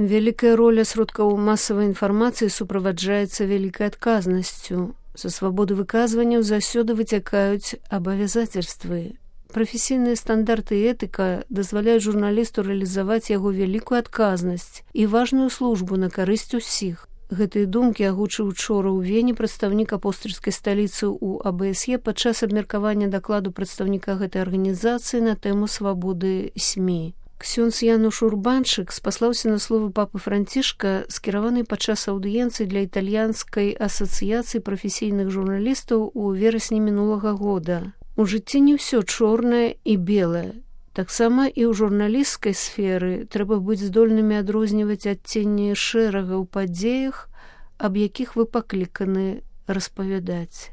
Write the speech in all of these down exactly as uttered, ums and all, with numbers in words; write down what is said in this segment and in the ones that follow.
Вялікая роля сродкаў масавай інфармацыі суправаджаецца вялікай адказнасцю. Са свабоды выказванняў заўсёды выцякаюць абавязацельствы. Прафесійныя стандарты і этыка дазваляюць журналісту рэалізаваць яго вялікую адказнасць і важную службу на карысць усіх. Гэтыя думкі агучыў учора ў Вені прадстаўнік апостальскай сталіцы ў А Б С Е падчас абмеркавання дакладу прадстаўніка гэтай арганізацыі на тэму свабоды СМІ. Ксёндз Януш Урбанчык спаслаўся на словы папы Францішка, скіраванай падчас аўдыенцыі для італьянскай асацыяцыі прафесійных журналістаў у верасні мінулага года. У жыцці не ўсё чорнае і белае. Таксама і ў журналісцкай сферы трэба быць здольнымі адрозніваць адценні шэрага ў падзеях, аб якіх вы пакліканы распавядаць.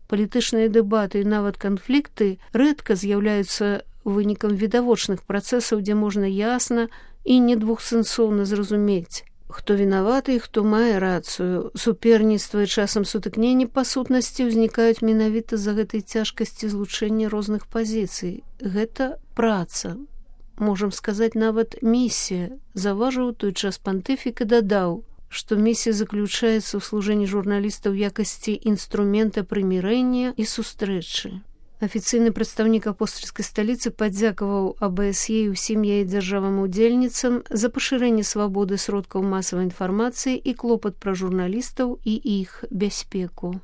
Палітычныя дэбаты і нават канфлікты рэдка з'яўляюцца вынікам відавочных працэсаў, дзе можна ясна і недвухсэнсоўна зразумець, хто вінаваты і хто мае рацыю. Суперніцтва і часам сутыкненні па сутнасці ўзнікаюць менавіта з-за гэтай цяжкасці злучэння розных пазіцый. Гэта праца. Можам сказаць, нават місія. Заўважыў той час пантыфік і дадаў, што місія заключаецца ў служэнні журналіста ў якасці інструмента прымірэння і сустрэчы. Афіцыйны прадстаўнік апостальскай сталіцы падзякаваў А Б С Е і ўсім яе дзяржавам-удзельніцам за пашырэнне свабоды сродкаў масавай інфармацыі і клопат пра журналістаў і іх бяспеку.